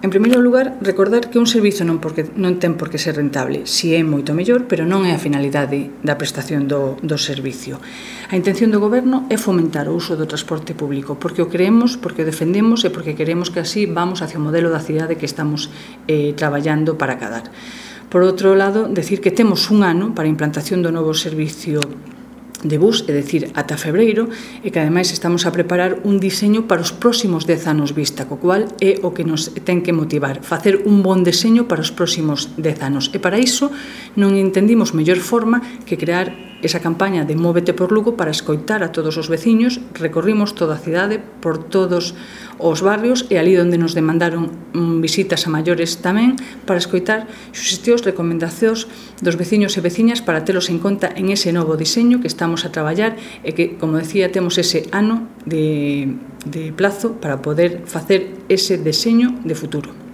En primeiro lugar, recordar que un servizo non ten por que ser rentable, si é moito mellor, pero non é a finalidade da prestación do servicio. A intención do Goberno é fomentar o uso do transporte público, porque o creemos, porque o defendemos e porque queremos que así vamos hacia o modelo da cidade que estamos traballando para acadar. Por outro lado, decir que temos un ano para a implantación do novo servicio de bus, é dicir, ata febreiro, e que ademais estamos a preparar un diseño para os próximos 10 anos vista, co cual é o que nos ten que motivar, facer un bon deseño para os próximos 10 anos. E para iso non entendimos mellor forma que crear esa campaña de Móvete por Lugo para escoitar a todos os veciños. Recorrimos toda a cidade, por todos os barrios, e ali onde nos demandaron visitas a maiores tamén, para escoitar suxestións, recomendacións dos veciños e veciñas para telos en conta en ese novo diseño que estamos a traballar e que, como decía, temos ese ano de plazo para poder facer ese deseño de futuro.